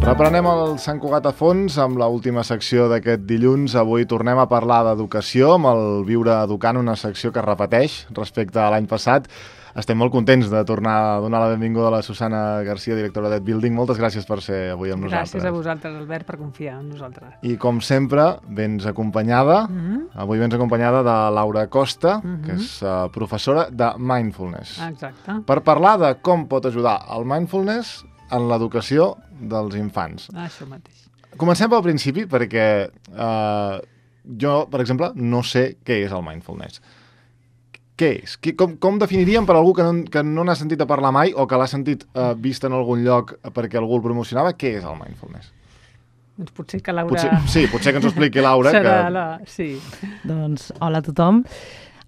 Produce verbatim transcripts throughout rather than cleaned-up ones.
Reprenem el Sant Cugat a fons amb l'última secció d'aquest dilluns. Avui tornem a parlar d'educació amb el Viure Educant, una secció que es repeteix respecte a l'any passat. Estem molt contents de tornar a donar la benvinguda a la Susana Garcia, directora d'Ed Building. Moltes gràcies per ser avui amb nosaltres. Gràcies a vosaltres, Albert, per confiar en nosaltres. I com sempre, vens acompanyada, mm-hmm. avui vens acompanyada de Laura Costa, mm-hmm. que és uh, professora de Mindfulness. Exacte. Per parlar de com pot ajudar el Mindfulness en l'educació dels infants. Això mateix. Comencem pel principi, perquè uh, jo, per exemple, no sé què és el Mindfulness. Què és? Com, com definiríem per algú que no, que no n'ha sentit a parlar mai o que l'ha sentit uh, vist en algun lloc perquè algú el promocionava? Què és el Mindfulness? Doncs potser que Laura... Potser, sí, potser que ens ho expliqui Laura. Serà que... la... Sí. Doncs, hola a tothom.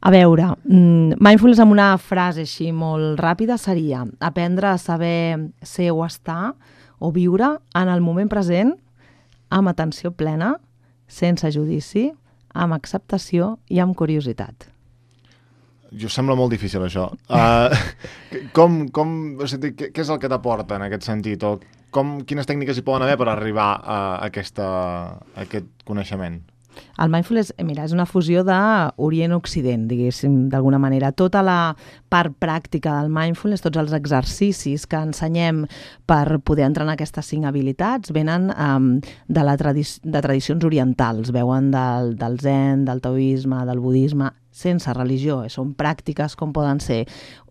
A veure, mindfulness amb una frase així molt ràpida seria aprendre a saber ser o estar o viure en el moment present amb atenció plena, sense judici, amb acceptació i amb curiositat. Jo sembla molt difícil, això. Uh, com, com, o sigui, què, què és el que t'aporta en aquest sentit? O com, quines tècniques hi poden haver per arribar a, aquesta, a aquest coneixement? El mindfulness, mira, és una fusió d'Orient-Occident, diguéssim, d'alguna manera. Tota la part pràctica del mindfulness, tots els exercicis que ensenyem per poder entrenar aquestes cinc habilitats, venen um, de, la tradi- de tradicions orientals, veuen del, del zen, del taoisme, del budisme, sense religió. Són pràctiques com poden ser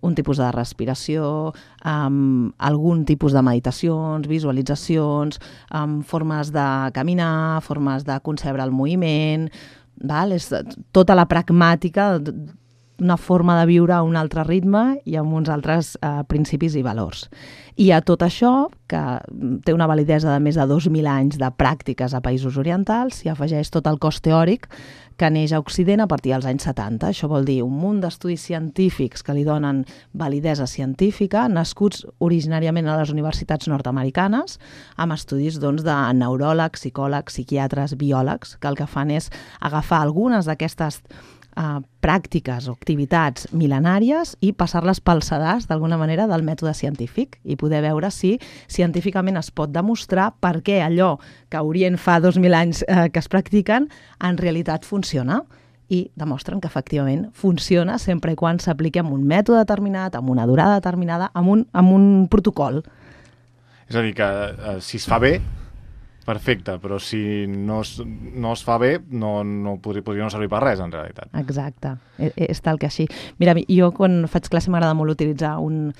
un tipus de respiració, um, algun tipus de meditacions, visualitzacions, um, formes de caminar, formes de concebre el moviment, val? És tota la pragmàtica, una forma de viure a un altre ritme i amb uns altres uh, principis i valors. I a tot això, que té una validesa de més de dos mil anys de pràctiques a països orientals, s'hi afegeix tot el cos teòric que neix a Occident a partir dels anys setanta. Això vol dir un munt d'estudis científics que li donen validesa científica, nascuts originàriament a les universitats nord-americanes, amb estudis doncs, de neuròlegs, psicòlegs, psiquiatres, biòlegs, que el que fan és agafar algunes d'aquestes Uh, pràctiques o activitats mil·lenàries i passar-les pel sedàs, d'alguna manera, del mètode científic i poder veure si científicament es pot demostrar per què allò que a Orient fa dos mil anys uh, que es practiquen en realitat funciona. I demostren que efectivament funciona sempre i quan s'apliqui amb un mètode determinat, amb una durada determinada, amb un, amb un protocol. És a dir, que uh, si es fa bé, perfecte, però si no es, no es fa bé, no, no podria, podria no servir per res, en realitat. Exacte, és, és tal que així. Mira, jo quan faig classe m'agrada molt utilitzar un,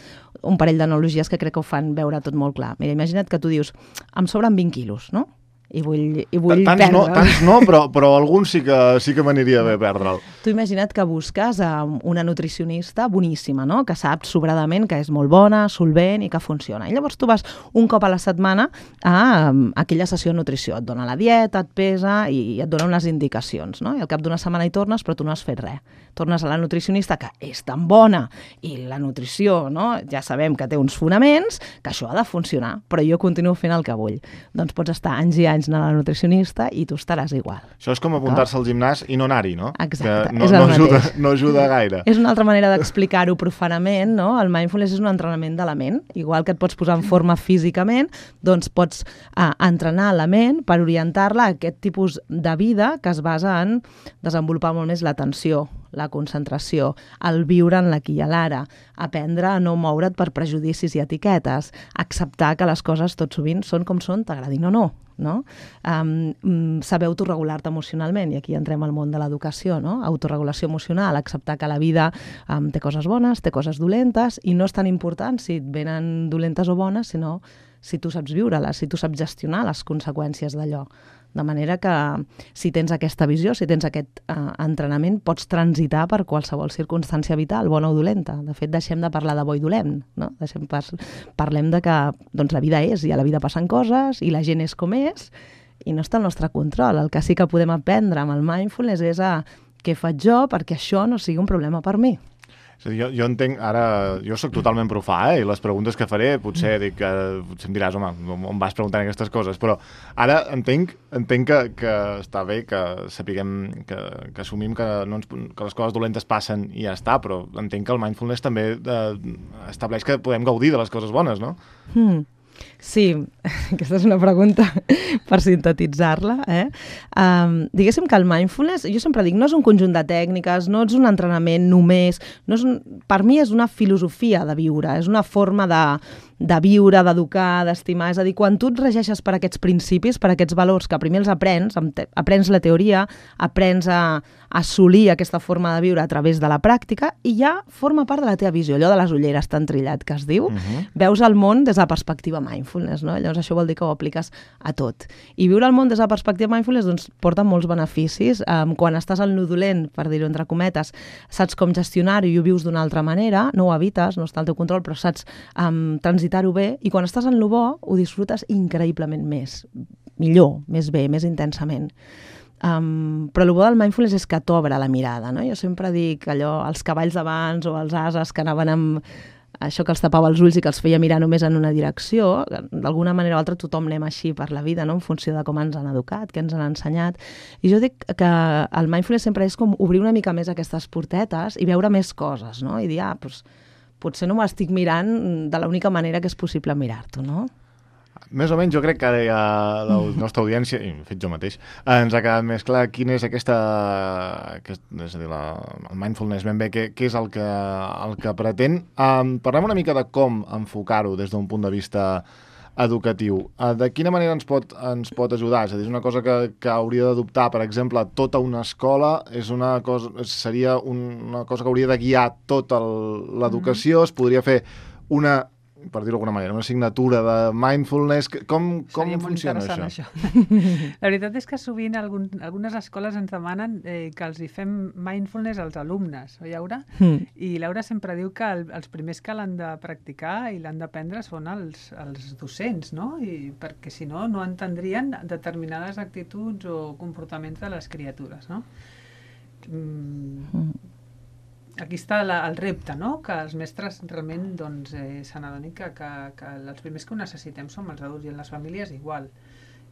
un parell d'analogies que crec que ho fan veure tot molt clar. Mira, imagina't que tu dius, em sobren vint quilos, no? I vull, i vull tants perdre. No, tants no, però, però algun sí que, sí que m'aniria bé perdre'l. Tu imagina't que busques a una nutricionista boníssima, no? Que sap sobradament que és molt bona, solvent i que funciona. I llavors tu vas un cop a la setmana a, a aquella sessió de nutrició. Et dona la dieta, et pesa i et dona unes indicacions, no? I al cap d'una setmana hi tornes, però tu no has fet res. Tornes a la nutricionista, que és tan bona, i la nutrició, no? Ja sabem que té uns fonaments, que això ha de funcionar, però jo continuo fent el que vull. Doncs pots estar anys i anys anar a la nutricionista i tu estaràs igual. Això és com apuntar-se al gimnàs i no anar-hi, no? Exacte, que no, és el no ajuda, mateix. no ajuda gaire. És una altra manera d'explicar-ho profanament, no? El mindfulness és un entrenament de la ment. Igual que et pots posar en forma físicament, doncs pots uh, entrenar la ment per orientar-la a aquest tipus de vida que es basa en desenvolupar molt més l'atenció, la concentració, el viure en l'aquí i l'ara, aprendre a no moure't per prejudicis i etiquetes, acceptar que les coses tot sovint són com són, t'agradin o no, no? Um, saber autorregular-te emocionalment, i aquí entrem al món de l'educació, no? Autorregulació emocional, acceptar que la vida um, té coses bones, té coses dolentes, i no és tan important si et venen dolentes o bones, sinó si tu saps viure-les, si tu saps gestionar les conseqüències d'allò. De manera que si tens aquesta visió, si tens aquest uh, entrenament, pots transitar per qualsevol circumstància vital, bona o dolenta. De fet, deixem de parlar de bo i dolent, no? Deixem pas, parlem de que doncs, la vida és, i a la vida passen coses, i la gent és com és, i no està al nostre control. El que sí que podem aprendre amb el mindfulness és a què faig jo perquè això no sigui un problema per mi. És a dir, jo, jo entenc, ara, jo sóc totalment profà, eh, i les preguntes que faré, potser dic, eh, potser em diràs, home, on vas preguntant aquestes coses, però ara entenc, entenc que, que està bé que sapiguem, que, que assumim que, no ens, que les coses dolentes passen i ja està, però entenc que el mindfulness també eh, estableix que podem gaudir de les coses bones, no? Hmm. Sí, aquesta és una pregunta per sintetitzar-la. Eh? Um, diguéssim que el mindfulness, jo sempre dic, no és un conjunt de tècniques, no és un entrenament només, no és un, per mi és una filosofia de viure, és una forma de, de viure, d'educar, d'estimar. És a dir, quan tu et regeixes per aquests principis, per aquests valors que primer els aprens, aprens la teoria, aprens a assolir aquesta forma de viure a través de la pràctica i ja forma part de la teva visió, allò de les ulleres tan trillat que es diu, uh-huh. Veus el món des de la perspectiva mindfulness, no? Llavors això vol dir que ho apliques a tot. I viure el món des de la perspectiva mindfulness doncs, porta molts beneficis. Um, quan estàs al nodolent, per dir-ho entre cometes, saps com gestionar-ho i ho vius d'una altra manera, no ho evites, no està al teu control, però saps um, transitar-ho bé, i quan estàs en lo bo ho disfrutes increïblement més, millor, més bé, més intensament. Um, però el bo del mindfulness és que t'obre la mirada, no? Jo sempre dic allò, els cavalls d'abans o els ases que anaven amb això que els tapava els ulls i que els feia mirar només en una direcció, d'alguna manera o altra tothom anem així per la vida, no? En funció de com ens han educat, què ens han ensenyat. I jo dic que el mindfulness sempre és com obrir una mica més aquestes portetes i veure més coses, no? I dir, ah, doncs, potser no m'estic mirant de l'única manera que és possible mirar-t'ho, no? Més o menys jo crec que ja la nostra audiència, i de fet jo mateix, ens ha quedat més clar quin és aquesta, aquest, és a dir, la, el mindfulness ben bé, què, què és el que, el que pretén. Um, parlem una mica de com enfocar-ho des d'un punt de vista educatiu. Uh, de quina manera ens pot, ens pot ajudar? És a dir, és una cosa que, que hauria d'adoptar, per exemple, tota una escola, és una cosa, seria una cosa que hauria de guiar tota l'educació, mm. es podria fer una, per dir-ho d'alguna manera, una assignatura de mindfulness. Com, com funciona això? això? La veritat és que sovint algun, algunes escoles ens demanen eh, que els hi fem mindfulness als alumnes, oi, Laura? Mm. I Laura sempre diu que el, els primers que l'han de practicar i l'han d'aprendre són els, els docents, no? I perquè si no, no entendrien determinades actituds o comportaments de les criatures, no? Mm. Mm. Aquí està la, el repte, no? Que els mestres realment doncs, eh, se n'adonin que, que, que els primers que ho necessitem som els adults, i en les famílies igual.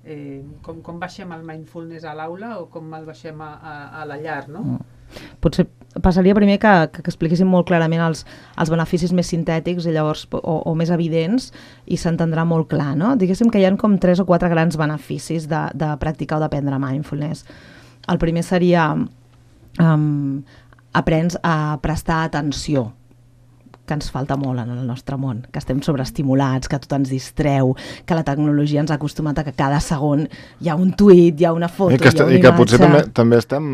Eh, com, com baixem el mindfulness a l'aula o com el baixem a, a, a la llar, no? Mm. Potser passaria primer que, que, que expliquéssim molt clarament els, els beneficis més sintètics i llavors, o, o més evidents, i s'entendrà molt clar, no? Diguéssim que hi ha com tres o quatre grans beneficis de, de practicar o d'aprendre mindfulness. El primer seria Um, aprens a prestar atenció, que ens falta molt en el nostre món, que estem sobreestimulats, que tot ens distreu, que la tecnologia ens ha acostumat a que cada segon hi ha un tuit, hi ha una foto, I que, hi ha una i que potser imatge. també, també estem,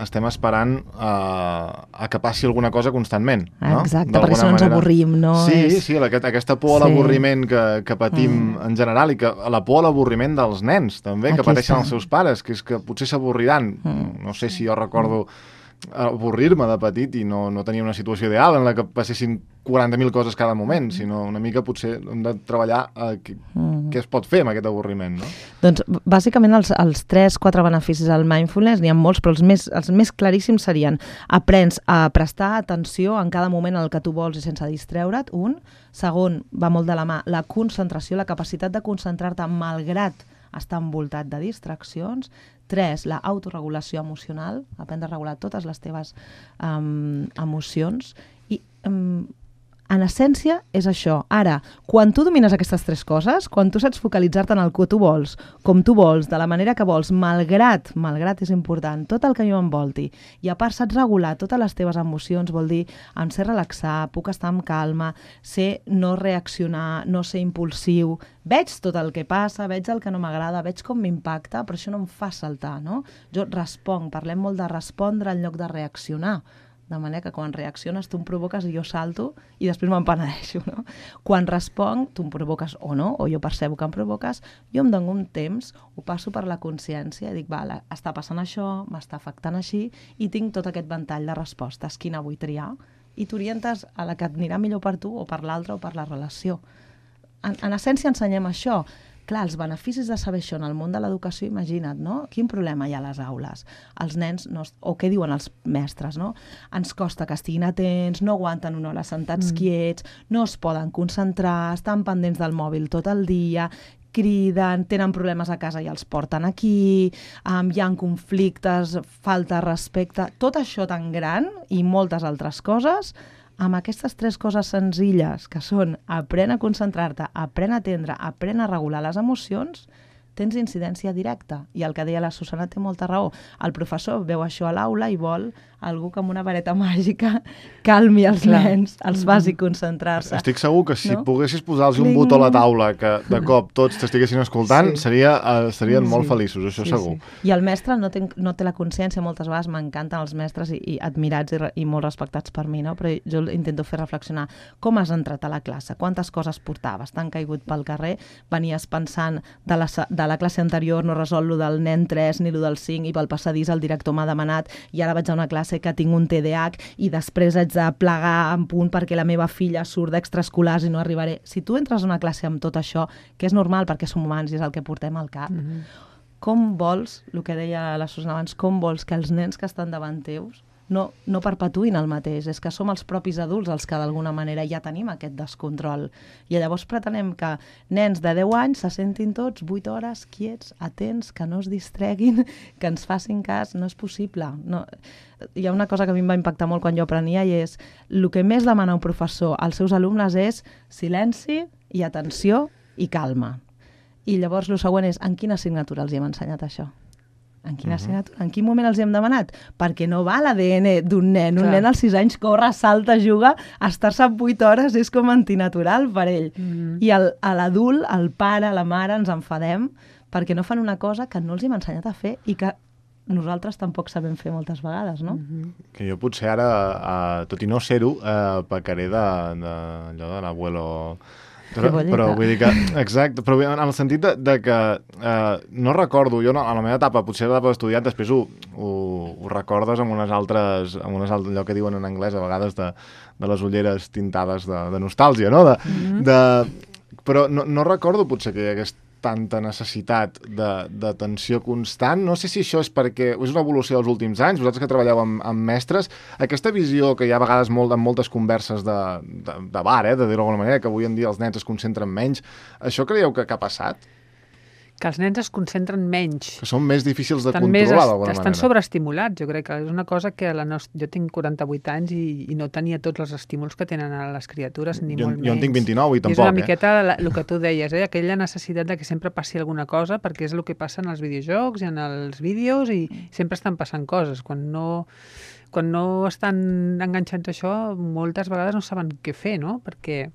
estem esperant uh, a que passi alguna cosa constantment, no? Exacte, perquè si no ens avorrim, no? Sí, és... sí, aquest, aquesta por a l'avorriment que, que patim mm. en general, i que la por a l'avorriment dels nens, també, Aquí que pateixen està. Els seus pares, que és que potser s'avorriran. Mm. No sé si jo recordo mm. avorrir-me de petit i no, no tenia una situació ideal en la que passessin quaranta mil coses cada moment, sinó una mica potser hem de treballar eh, què, mm. què es pot fer amb aquest avorriment, no? Doncs bàsicament els, els tres, quatre beneficis del mindfulness, n'hi ha molts, però els més, els més claríssims serien: aprens a prestar atenció en cada moment en el que tu vols i sense distreure't, un. Segon, va molt de la mà, la concentració, la capacitat de concentrar-te malgrat estar envoltat de distraccions. Tres, la autorregulació emocional, aprendre a regular totes les teves um, emocions. I um, en essència és això. Ara, quan tu domines aquestes tres coses, quan tu saps focalitzar-te en el que tu vols, com tu vols, de la manera que vols, malgrat, malgrat és important, tot el que jo envolti, i a part saps regular totes les teves emocions, vol dir, em sé relaxar, puc estar amb calma, sé no reaccionar, no ser impulsiu, veig tot el que passa, veig el que no m'agrada, veig com m'impacta, però això no em fa saltar, no? Jo responc, parlem molt de respondre en lloc de reaccionar, de manera que quan reacciones tu em provoques i jo salto i després me'n penedeixo, no? Quan responc, tu em provoques o no, o jo percebo que em provoques, jo em dono un temps, ho passo per la consciència i dic, vale, està passant això, m'està afectant així, i tinc tot aquest ventall de respostes, quina vull triar, i t'orientes a la que et anirà millor per tu o per l'altre o per la relació. En, en essència ensenyem això. Clar, els beneficis de saber això en el món de l'educació, imagina't, no? Quin problema hi ha a les aules? Els nens, no, o què diuen els mestres, no? Ens costa que estiguin atents, no aguanten una hora sentats mm. quiets, no es poden concentrar, estan pendents del mòbil tot el dia, criden, tenen problemes a casa i els porten aquí, um, hi ha conflictes, falta de respecte, tot això tan gran i moltes altres coses amb aquestes tres coses senzilles, que són aprèn a concentrar-te, aprèn a atendre, aprèn a regular les emocions, tens incidència directa. I el que deia la Susana té molta raó. El professor veu això a l'aula i vol algú que amb una vareta màgica calmi els Clar. nens, els faci concentrar-se. Estic segur que si no? poguessis posar-los un botó a la taula que de cop tots t'estiguessin escoltant, sí. seria, uh, serien sí. molt feliços, això sí, segur. Sí. I el mestre no té, no té la consciència, moltes vegades m'encanten els mestres i, i admirats i, i molt respectats per mi, no? Però jo intento fer reflexionar com has entrat a la classe, quantes coses portaves, t'han caigut pel carrer, venies pensant de la, de la classe anterior no resol lo del nen tres ni lo del cinc i pel passadís el director m'ha demanat i ara vaig a una classe que tinc un T D A H i després haig de plegar en punt perquè la meva filla surt d'extraescolars i no arribaré. Si tu entres a una classe amb tot això, que és normal perquè som humans i és el que portem al cap, mm-hmm. com vols, el que deia la Susana abans, com vols que els nens que estan davant teus no, no perpetuïn el mateix? És que som els propis adults els que d'alguna manera ja tenim aquest descontrol. I llavors pretenem que nens de deu anys se sentin tots vuit hores quiets, atents, que no es distreguin, que ens facin cas. No és possible. No. Hi ha una cosa que a mi em va impactar molt quan jo aprenia i és el que més demana un professor als seus alumnes és silenci i atenció i calma. I llavors el següent és en quina assignatura els hi hem ensenyat això? En quina assignatura? En quin moment els hem demanat? Perquè no va l'A D N d'un nen. Un Clar. nen als sis anys corre, salta, juga, estar-se vuit hores és com antinatural per ell. Mm. I el, a l'adult, el pare, la mare, ens enfadem perquè no fan una cosa que no els hem ensenyat a fer i que nosaltres tampoc sabem fer moltes vegades, no? Mm-hmm. Que jo potser ara, uh, tot i no ser-ho, uh, pecaré de, de, allò de l'abuelo... Però, però vull dir que, exacte, però en el sentit de, de que eh, no recordo, jo no, a la meva etapa, potser a l'etapa d'estudiant, després ho, ho, ho recordes amb unes altres, amb unes altres, allò que diuen en anglès a vegades de, de les ulleres tintades de, de nostàlgia, no? De, mm-hmm. de, però no, no recordo potser que hi hagués tanta necessitat d'atenció constant. No sé si això és perquè és una evolució dels últims anys, vosaltres que treballeu amb, amb mestres, aquesta visió que hi ha a vegades molt, en moltes converses de, de, de bar, eh, de dir-ho d'alguna manera, que avui en dia els nens es concentren menys, això creieu que, que ha passat? Que els nens es concentren menys. Que són més difícils de estan controlar, d'alguna manera. Estan sobreestimulats, jo crec que és una cosa que la nostra... jo tinc quaranta-vuit anys i, i no tenia tots els estímuls que tenen a les criatures, ni jo, molt menys. Jo en tinc vint-i-nou i tampoc, I és una eh? miqueta el que tu deies, eh? Aquella necessitat de que sempre passi alguna cosa, perquè és el que passa en els videojocs i en els vídeos i sempre estan passant coses. Quan no, quan no estan enganxats a això, moltes vegades no saben què fer, no? Perquè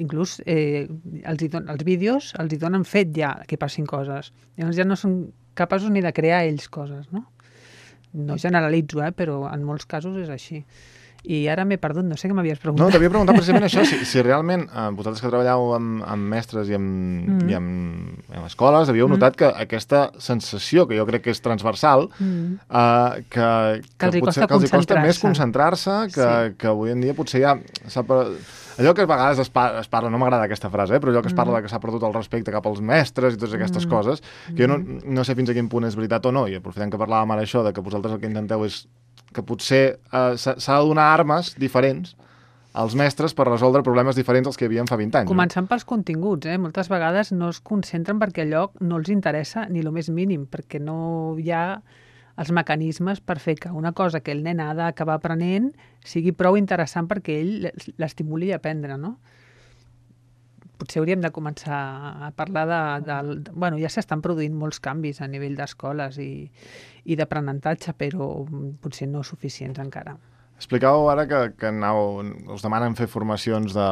inclús eh, els, don, els vídeos els hi donen fet ja que passin coses. Llavors ja no són capaços ni de crear ells coses, no? No generalitzo, eh, però en molts casos és així. I ara m'he perdut, no sé què m'havies preguntat. No, t'havia preguntat precisament això, si, si realment eh, vosaltres que treballeu amb, amb mestres i amb, mm. i amb, amb escoles havíeu mm. notat que aquesta sensació, que jo crec que és transversal, mm. eh, que, que, que, els potser, que els hi costa més concentrar-se, que, sí. que avui en dia potser ja s'ha... Allò que a vegades es, par es parla, no m'agrada aquesta frase, eh, però allò que es parla mm. de que s'ha perdut el respecte cap als mestres i totes aquestes mm. coses, que jo no, no sé fins a quin punt és veritat o no, i aprofitem que parlàvem ara això, de que vosaltres el que intenteu és que potser eh, s'ha de donar armes diferents als mestres per resoldre problemes diferents als que hi havia fa vint anys. Començant no? pels continguts, eh? Moltes vegades no es concentren perquè allò no els interessa ni el més mínim, perquè no hi ha els mecanismes per fer que una cosa que el nen ha d'acabar aprenent sigui prou interessant perquè ell l'estimuli a aprendre, no? Potser hauríem de començar a parlar de... de, de bueno, ja s'estan produint molts canvis a nivell d'escoles i, i d'aprenentatge, però potser no suficients encara. Explicàveu ara que, que anau, us demanen fer formacions de,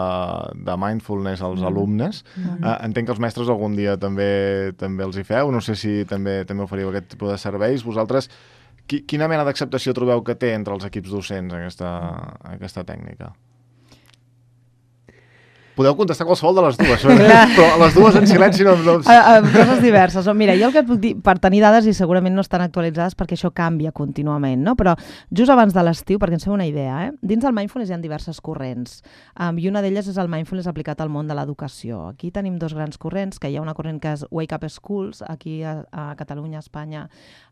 de mindfulness als mm. alumnes. Mm. Uh, entenc que els mestres algun dia també també els hi feu. No sé si també també oferiu aquest tipus de serveis. Vosaltres, qui, quina mena d'acceptació trobeu que té entre els equips docents aquesta, aquesta tècnica? Podeu contestar qualsevol de les dues, però les dues en silenci no... no... A, a, coses diverses. Mira, jo el que et puc dir, per tenir dades i segurament no estan actualitzades perquè això canvia contínuament, no? Però just abans de l'estiu, perquè ens fem una idea, eh? Dins del mindfulness hi ha diverses corrents, um, i una d'elles és el mindfulness aplicat al món de l'educació. Aquí tenim dos grans corrents, que hi ha una corrent que és Wake Up Schools, aquí a, a Catalunya, a Espanya,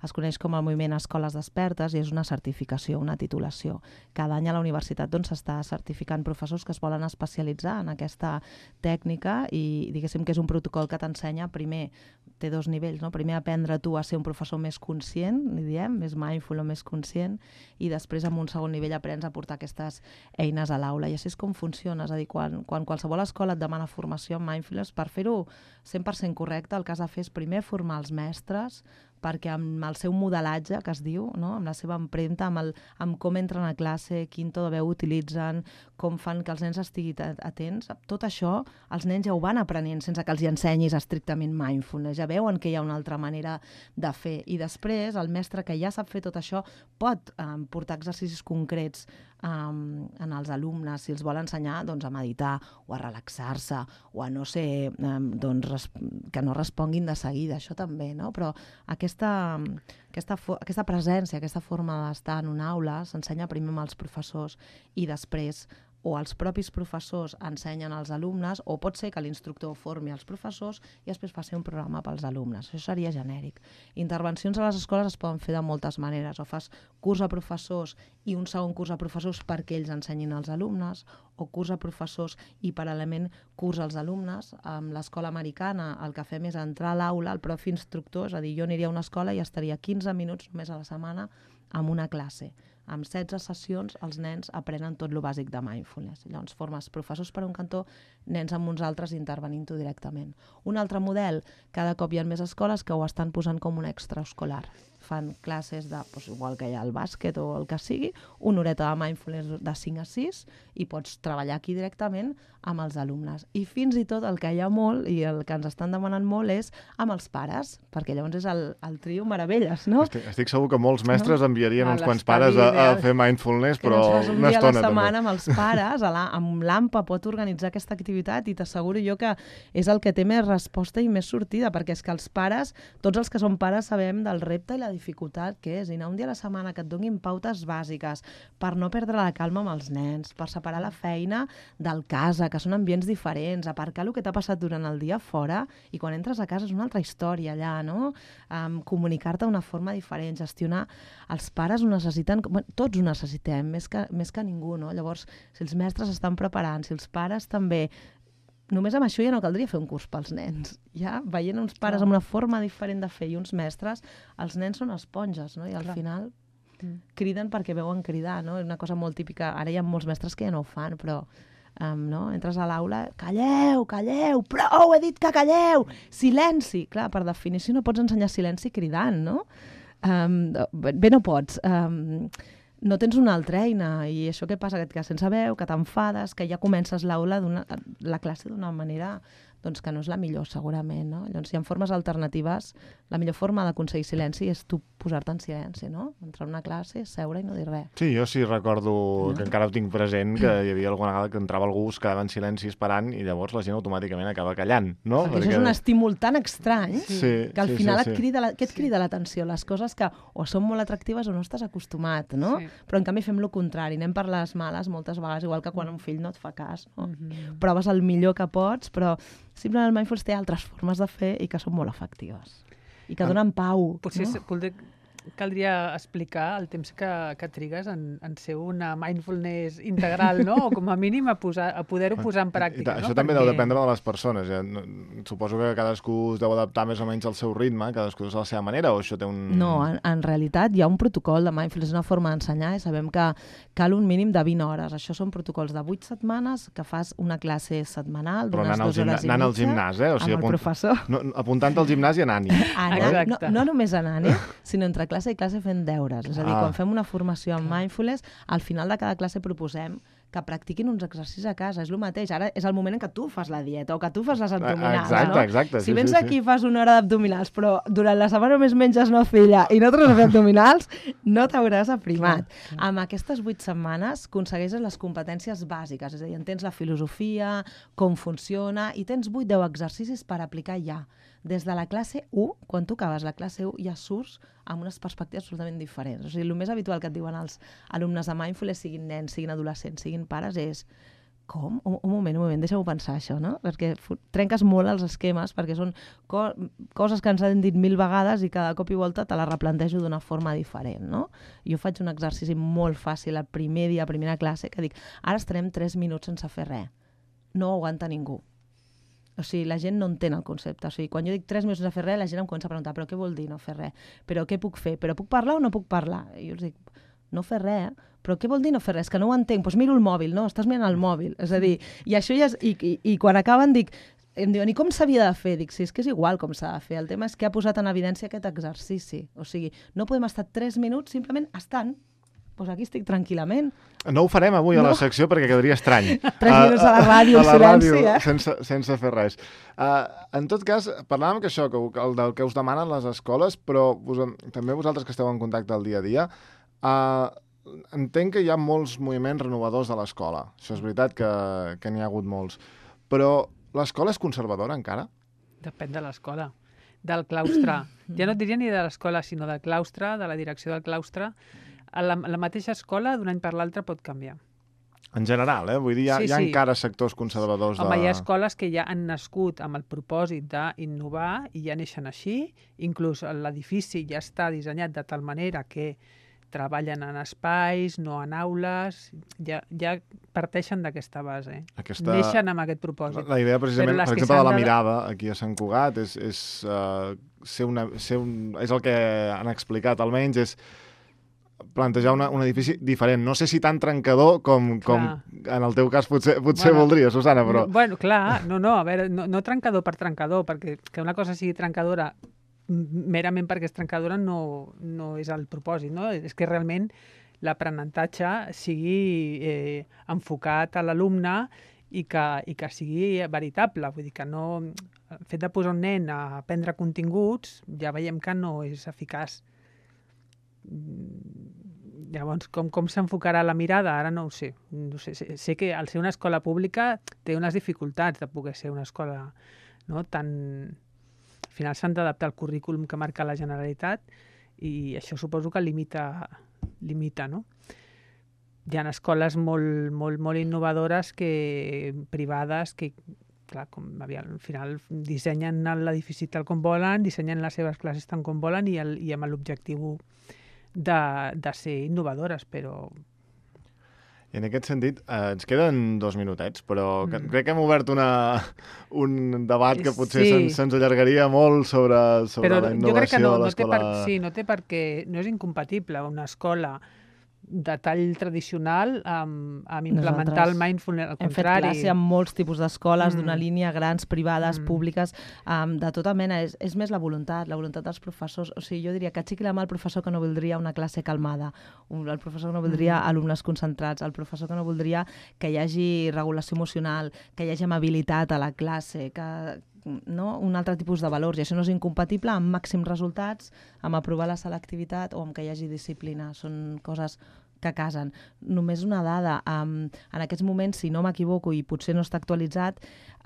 es coneix com el moviment Escoles Despertes i és una certificació, una titulació. Cada any a la universitat doncs s'està certificant professors que es volen especialitzar en aquesta aquesta tècnica i diguéssim que és un protocol que t'ensenya primer té dos nivells, no? Primer aprendre tu a ser un professor més conscient, li diem, més mindful o més conscient, i després en un segon nivell aprens a portar aquestes eines a l'aula. I així és com funciona, és a dir, quan, quan qualsevol escola et demana formació en mindfulness, per fer-ho cent per cent correcte, el que has de fer és primer formar els mestres, perquè amb el seu modelatge, que es diu, no? Amb la seva empremta, amb, el, amb com entren a classe, quin to de veu utilitzen, com fan que els nens estiguin atents, tot això els nens ja ho van aprenent sense que els hi ensenyis estrictament mindfulness, ja veuen que hi ha una altra manera de fer. I després el mestre que ja sap fer tot això pot eh, portar exercicis concrets um, en els alumnes, si els vol ensenyar doncs, a meditar o a relaxar-se o a no ser, um, doncs, que no responguin de seguida, això també, no? Però aquesta, aquesta, aquesta presència, aquesta forma d'estar en una aula s'ensenya primer amb els professors i després o els propis professors ensenyen als alumnes, o pot ser que l'instructor formi els professors i després faci un programa pels alumnes. Això seria genèric. Intervencions a les escoles es poden fer de moltes maneres. O fas curs a professors i un segon curs a professors perquè ells ensenyin als alumnes, o curs a professors i paral·lelament curs als alumnes. Amb l'escola americana el que fem és entrar a l'aula, el propi instructor, és a dir, jo aniria a una escola i estaria quinze minuts només a la setmana amb una classe. Amb setze sessions els nens aprenen tot lo bàsic de mindfulness. Llavors formes professors per un cantó, nens amb uns altres intervenint-ho directament. Un altre model, cada cop hi ha més escoles que ho estan posant com un extraescolar. Fan classes de, doncs, igual que hi ha el bàsquet o el que sigui, una horeta de mindfulness de cinc a sis i pots treballar aquí directament amb els alumnes. I fins i tot el que hi ha molt i el que ens estan demanant molt és amb els pares, perquè llavors és el, el trio meravelles, no? Estic, estic segur que molts mestres no? enviarien a uns quants pares a, a fer mindfulness, però una estona també. Que ens fas un dia a la setmana amb els pares, a la, amb l'A M P A pot organitzar aquesta activitat i t'asseguro jo que és el que té més resposta i més sortida, perquè és que els pares, tots els que som pares sabem del repte i la dificultat que és, i anar un dia a la setmana que et donin pautes bàsiques per no perdre la calma amb els nens, per separar la feina del casa, que són ambients diferents, aparcar el que t'ha passat durant el dia fora, i quan entres a casa és una altra història allà, no? Um, comunicar-te d'una forma diferent, gestionar. Els pares ho necessiten, tots ho necessitem, més que, més que ningú, no? Llavors, si els mestres estan preparant, si els pares també, només amb això ja no caldria fer un curs pels nens. Ja veient uns pares amb una forma diferent de fer i uns mestres, els nens són esponges, no? I al Clar. final criden perquè veuen cridar, no? És una cosa molt típica. Ara hi ha molts mestres que ja no ho fan, però um, no? Entres a l'aula, calleu, calleu, prou, he dit que calleu, silenci. Clar, per definició no pots ensenyar silenci cridant, no? Um, bé, no pots. Um, no tens una altra eina, i això què passa? Que et quedes sense veu, que t'enfades, que ja comences l'aula, la classe d'una manera doncs, que no és la millor, segurament, no? Llavors, si hi ha formes alternatives, la millor forma d'aconseguir silenci és tu posar-te en silenci, no? Entrar a una classe, seure i no dir res. Sí, jo sí recordo, no? que encara ho tinc present, que hi havia alguna vegada que entrava algú, es quedava en silenci esperant i llavors la gent automàticament acaba callant, no? Perquè, Perquè... això és un estímul tan estrany sí, que al sí, final sí, sí. et crida la... què et crida l'atenció? Les coses que o són molt atractives o no estàs acostumat, no? Sí. Però en canvi fem el contrari, anem per les males moltes vegades, igual que quan un fill no et fa cas, no? Mm-hmm. Proves el millor que pots, però simplement el mindfulness té altres formes de fer i que són molt efectives i que donen pau. Potser no? poder, caldria explicar el temps que, que trigues en, en ser una mindfulness integral, no? O com a mínim a, posar, a poder-ho posar en pràctica. I, i, això no? també Perquè... deu dependre de les persones. Ja. Suposo que cadascú es deu adaptar més o menys al seu ritme, cadascú a la seva manera, o això té un... No, en, en realitat hi ha un protocol de mindfulness, una forma d'ensenyar, i sabem que cal un mínim de vint hores. Això són protocols de vuit setmanes, que fas una classe setmanal d'unes dues hores i mitja. Anant al gimnàs, eh? O sigui, amb el professor. No, apuntant al gimnàs i anant-hi. Anant, no, no només anant-hi, sinó entre classe i classe fent deures. És a dir, ah. quan fem una formació en mindfulness, al final de cada classe proposem que practiquin uns exercicis a casa. És el mateix. Ara és el moment en què tu fas la dieta o que tu fas les abdominals. Exacte, no? exacte. Si sí, vens sí, aquí i sí. fas una hora d'abdominals, però durant la setmana només menges nocilla i no tornes a fer abdominals, no t'hauràs aprimat. Clar, clar. Amb aquestes vuit setmanes aconsegueixes les competències bàsiques. És a dir, entens la filosofia, com funciona, i tens vuit deu exercicis per aplicar ja. Des de la classe u, quan tu acabes la classe u, ja surts amb unes perspectives absolutament diferents. O sigui, el més habitual que et diuen els alumnes de mindfulness, siguin nens, siguin adolescents, siguin pares, és com? Un, un moment, un moment, deixa-m'ho pensar això, no? Perquè trenques molt els esquemes, perquè són co coses que ens han dit mil vegades i cada cop i volta te les replantejo d'una forma diferent, no? Jo faig un exercici molt fàcil el primer dia, a primera classe, que dic, ara estarem tres minuts sense fer res. No ho aguanta ningú. O sigui, la gent no entén el concepte. O sigui, quan jo dic tres minuts de fer res, la gent em comença a preguntar, però què vol dir no fer res? Però què puc fer? Però puc parlar o no puc parlar? I jo els dic, no fer res, però què vol dir no fer res? Que no ho entenc, doncs miro el mòbil, no? Estàs mirant el mòbil. És a dir, i això ja és... I, i, i quan acaben dic, em diuen, i com s'havia de fer? Dic, sí, és que és igual com s'ha de fer. El tema és que ha posat en evidència aquest exercici. O sigui, no podem estar tres minuts simplement estant. Doncs aquí estic tranquil·lament. No ho farem avui no. a la secció perquè quedaria estrany. Tres minuts a la ràdio, a la silenci, ràdio, eh? sense, sense fer res. Uh, en tot cas, parlàvem que això, que, el del que us demanen les escoles, però vos, també vosaltres que esteu en contacte al dia a dia, uh, entenc que hi ha molts moviments renovadors de l'escola. Això és veritat que, que n'hi ha hagut molts. Però l'escola és conservadora encara? Depèn de l'escola. Del claustre. Ja no et diria ni de l'escola, sinó del claustre, de la direcció del claustre. La, la mateixa escola, d'un any per l'altre, pot canviar. En general, eh? Vull dir, hi ha, sí, hi ha sí. encara sectors conservadors. Home, de... hi ha escoles que ja han nascut amb el propòsit d'innovar i ja neixen així. Inclús l'edifici ja està dissenyat de tal manera que treballen en espais, no en aules, ja, ja parteixen d'aquesta base. Aquesta... Neixen amb aquest propòsit. La idea, precisament, per exemple, de la mirada aquí a Sant Cugat, és, és, uh, ser una, ser un, és el que han explicat, almenys, és plantejar una, un edifici diferent. No sé si tan trencador com, com en el teu cas potser, potser bueno, voldria, Susana, però... Bueno, clar, no, no, a veure, no, no trencador per trencador, perquè que una cosa sigui trencadora merament perquè és trencadora no, no és el propòsit, no? És que realment l'aprenentatge sigui eh, enfocat a l'alumne i que, i que sigui veritable. Vull dir que no... El fet de posar un nen a aprendre continguts ja veiem que no és eficaç. Llavors, com, com s'enfocarà la mirada? Ara no ho sé. No sé. Sé, sé que al ser una escola pública té unes dificultats de poder ser una escola, no, tan... Al final s'han d'adaptar al currículum que marca la Generalitat i això suposo que limita, limita, no? Hi ha escoles molt, molt, molt innovadores que, privades que, clar, com, al final dissenyen l'edifici tal com volen, dissenyen les seves classes tant com volen i, el, i amb l'objectiu de, de ser innovadores, però... I en aquest sentit, eh, ens queden dos minutets, però mm. crec que hem obert una, un debat que potser sí. se'ns, se'ns allargaria molt sobre, sobre però la innovació jo crec que no, de l'escola. No per, sí, no té perquè no és incompatible una escola de tall tradicional amb, amb implementar Nosaltres el mindfulness, al hem contrari. Hem fet classe amb molts tipus d'escoles, mm. d'una línia, grans, privades, mm. públiques, um, de tota mena. És, és més la voluntat, la voluntat dels professors. O sigui, jo diria que aixequi la mà el professor que no voldria una classe calmada, el professor que no voldria mm. alumnes concentrats, el professor que no voldria que hi hagi regulació emocional, que hi hagi amabilitat a la classe, que... no? Un altre tipus de valors, i això no és incompatible amb màxims resultats, amb aprovar la selectivitat o amb que hi hagi disciplina. Són coses que casen. Només una dada, um, en aquests moments, si no m'equivoco i potser no està actualitzat,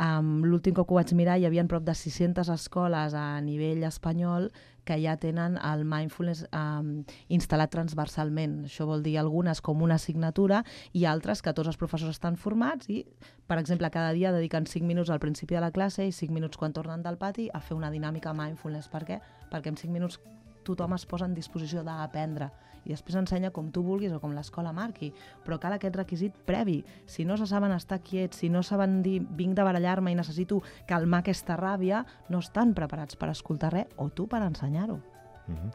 um, l'últim cop que ho vaig mirar hi havia prop de sis-centes escoles a nivell espanyol que ja tenen el mindfulness um, instal·lat transversalment. Això vol dir algunes com una assignatura i altres que tots els professors estan formats i, per exemple, cada dia dediquen cinc minuts al principi de la classe i cinc minuts quan tornen del pati a fer una dinàmica mindfulness. Per què? Perquè en cinc minuts tothom es posa en disposició d'aprendre i després ensenya com tu vulguis o com l'escola marqui, però cal aquest requisit previ. Si no se saben estar quiets, si no saben dir vinc de barallar-me i necessito calmar aquesta ràbia, no estan preparats per escoltar res o tu per ensenyar-ho. Mm-hmm.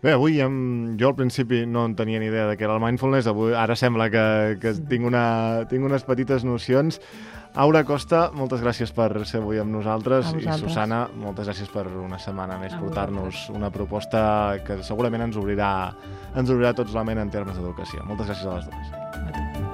Bé, avui em, jo al principi no en tenia ni idea de què era el mindfulness, avui, ara sembla que, que tinc, una, tinc unes petites nocions. Aura Costa, moltes gràcies per ser avui amb nosaltres i Susana, moltes gràcies per una setmana més portar-nos una proposta que segurament ens obrirà, ens obrirà tots la ment en termes d'educació. Moltes gràcies a les dues.